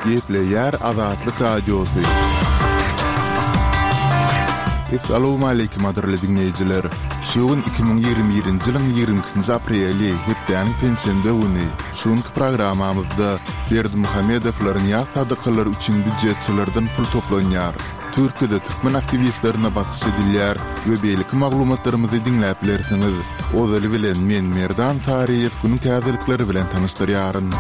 Gepleýär Azatlyk Radiosy. Essalawmaleýkim gadyrly diňleýjiler! Şu gün 2021-nji ýylyň 22-nji apreli, hepdäniň penşenbe güni. Şu günki programmamyzda Berdimuhamedowlaryň ýas sadakalary üçin býujetçilerden pul toplanýar. Türkiýede türkmen aktiwistlerine basyş edilýär we beýleki maglumatlarymyzy diňläp bilersiňiz. Ozaly bilen men Merdan Saryýew günüň täzelikleri bilen tanyşdyrýaryn.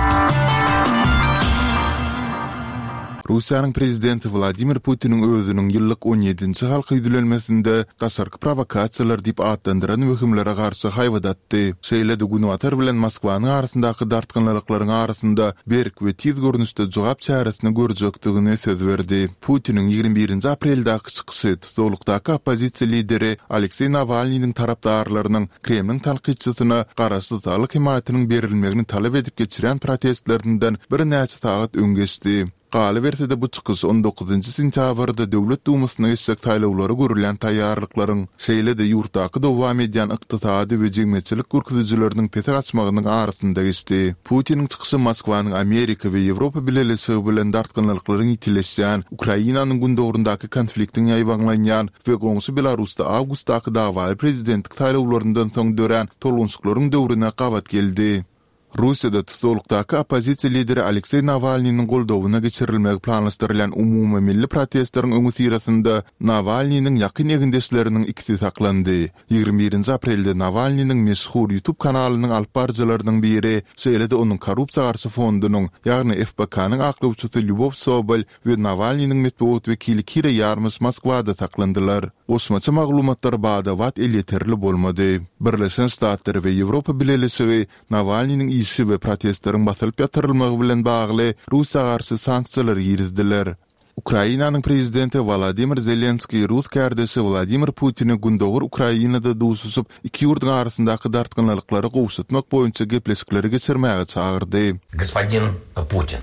Russiýanyň prezidenti Wladimir Putiniň özüniň ýyllyk on ýedinji halka ýüzlenmesinde daşarky prowokasiýalar diýip atlandyran wehimlere garşy haýbat atdy. Şeýle-de Günbatar bilen Moskwanyň arasyndaky dartgynlylyklaryň arasynda berk we tiz görnüşde jogap çäresini görjekdigini söz berdi. Putiniň 21 nji apreldäki çykyşy tussaglykdaky oppozisiýa lideri Alekseý Nawalnynyň tarapdarlarynyň Kremliň tankytçysyna garaşsyz saglyk hemaýatynyň berilmegini talap edip geçirýän protestlerinden birnäçe sagat öň geçdi. Galyberse-de bu çykyş on dokuzynjy sentýabrda Döwlet Dumasyna geçjek saýlawlara görülýän taýýarlyklaryň, şeýle-de ýurtdaky dowam edýän ykdysady we jemgyýetçilik görkezijileriniň pese gaçmagynyň arasynda geçdi. Putiniň çykyşy Moskwanyň Amerika we Ýewropa Bileleşigi bilen dartgynlyklaryň ýitileşýän, Ukrainanyň gündogaryndaky konfliktiň ýaýbaňlanýan we goňşy Belarusda awgustdaky dawaly prezidentlik saýlawlaryndan soň dörän tolgunşyklaryň döwrüne gabat geldi. Russiýada tussaglykdaky oppozisiýa lideri Alekseý Nawalnynyň goldawyna geçirilmegi planlaşdyrylýan umumymilli protestleriň öňüsyrasynda Nawalnynyň ýakyn egindeşleriniň ikisi saklandy. 21 nji aprelde Nawalnynyň meşhur YouTube kanalynyň alyp baryjylarynyň biri, şeýle-de onuň korrupsiýa garşy fondunyň, ýagny FBK-nyň aklawçysy Lýubow Sobol we Nawalnynyň metbugat wekili Kira Ýarmyş Moskwada saklandylar. Goşmaça maglumatlar bada-bat elýeterli bolmady. Birleşen Ştatlar we Ýewropa Bileleşigi Nawalnynyň işi we protestleriň basylyp ýatyrylmagy bilen bagly Russiýa garşy sanksiýalary girizdiler. Ukrainanyň prezidenti Wolodymyr Zelenskiý rus kärdeşi Wladimir Putini gündogar Ukrainada duşuşyp, iki ýurduň arasyndaky dartgynlylyklary gowşatmak boýunça gepleşikleri geçirmäge çagyrdy. Gospodin Putin,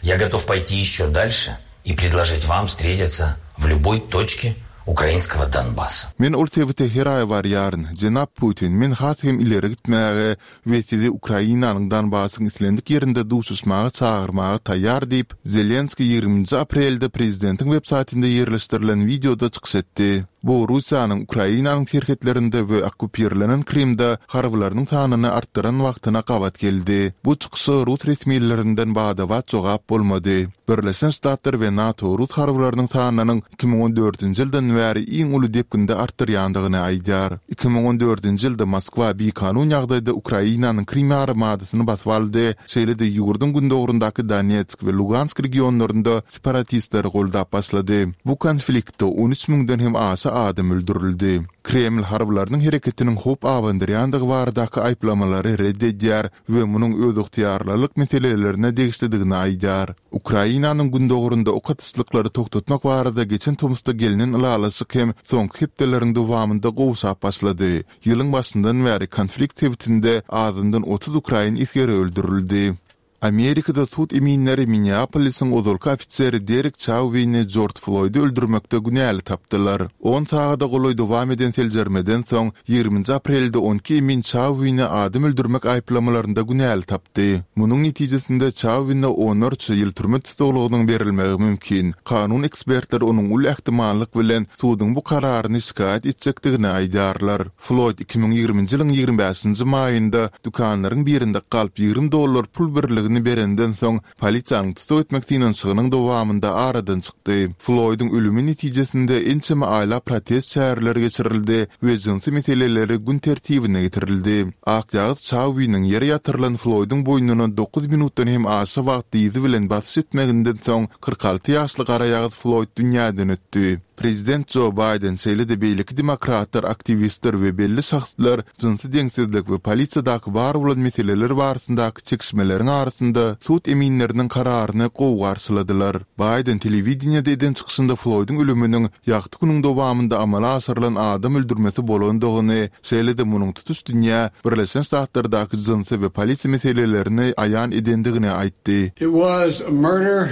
я готов пойти еще дальше и предложить вам встретиться в любой точке украинского Донбасса. Men ol sebite her aý barýaryn. Jenap Putin, men has hem ileri gitmäge we sizi Ukrainanyň Donbassyň islendik ýerinde duşuşmaga çagyrmaga taýýar diýip, Zelenskiý 20-nji aprelde prezidentiň websaýtynda ýerleşdirilen wideoda çykyş etdi. Bu Russiýanyň Ukrainanyň serhetlerinde we okkupirlenen Krymda harbylarynyň sanyny artdyran wagtyna gabat geldi. Bu çykyşa rus resmilerinden bada-bat jogap bolmady. Birleşen Ştatlar we NATO rus harbylarynyň sanynyň 2014-nji ýyldan bäri iň uly depginde artdyrýandygyny aýdýar. 2014-nji ýylda Moskwa bikanun ýagdaýda Ukrainanyň Krym ýarymadasyny basyp aldy, şeýle-de ýurduň gündogaryndaky Donetsk we Lugansk regionlarynda separatistleri goldap başlady. Bu konfliktde 13 müňden hem aşa adam öldürildi. Kreml harbylarynyň hereketiniň howp abandyrýandygy baradaky aýyplamalary red edýär we munuň özygtyýarlylyk meselelerine degişlidigini aýdýar. Ukrainanyň gündogarynda ok atyşlyklary togtatmak barada geçen tomusda gelnen ylalaşyk hem soňky hepdeleriň dowamynda gowşap başlady. Ýylyň başyndan bäri konflikt sebitinde azyndan 30 ukrain esgeri öldürildi. Amerikada sud eminleri Minneapolisiň ozalky ofiseri Derek Çauwini Jorj Floýdy öldürmekde günäli tapdylar. On sagada golaý dowam eden seljermeden soň, 20-nji aprelde on iki emin Çauwini adam öldürmek aýyplamalarynda günäli tapdy. Munuň netijesinde Çauwine onlarça ýyl türme tussaglygynyň berilmegi mümkin. Kanun ekspertleri onuň uly ähtimallyk bilen suduň bu kararyny şikaýat etjekdigini aýdýarlar. Floýd 2020-nji ýylyň 25-nji maýynda dükanlaryň birinde galp 20 dollar pul birligini berenden soň, polisiýanyň tussag etmek synanyşygynyň dowamynda aradan çykdy. Floýdyň ölümi netijesinde ençeme aýlap protest çäreleri geçirildi we jynsy meseleleri gün tertibine getirildi. Akýagyz Çauwiniň ýere ýatyrylan Floýdyň boýnuna dokuz minutdan hem aşa wagt dyzy bilen basyş etmeginden soň, 46 ýaşly garaýagyz Floýd dünýäden ötdi. Prezident Jo Baýden, şeýle-de beýleki demokratlar, aktiwistler we belli şahslar jynsy deňsizlik we polisiýadaky bar bolan meseleler barasyndaky çekişmeleriň arasynda sud eminleriniň kararyny gowy garşyladylar. Baýden telewideniýede eden çykyşynda Floýdyň ölüminiň ýagty günüň dowamynda amala aşyrylan adam öldürmesi bolandygyny, şeýle-de munuň tutuş dünýä Birleşen Ştatlardaky jynsy we polisiýa meselelerini aýan edendigini aýtdy. It was a murder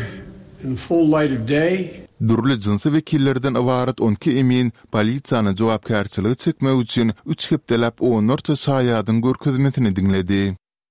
in the full light of day. Dürli jynsy wekillerden ybarat 12 emin polisiýany jogapkärçilige çekmek üçin üç hepdeläp onlarça şaýadyň görkezmesini diňledi.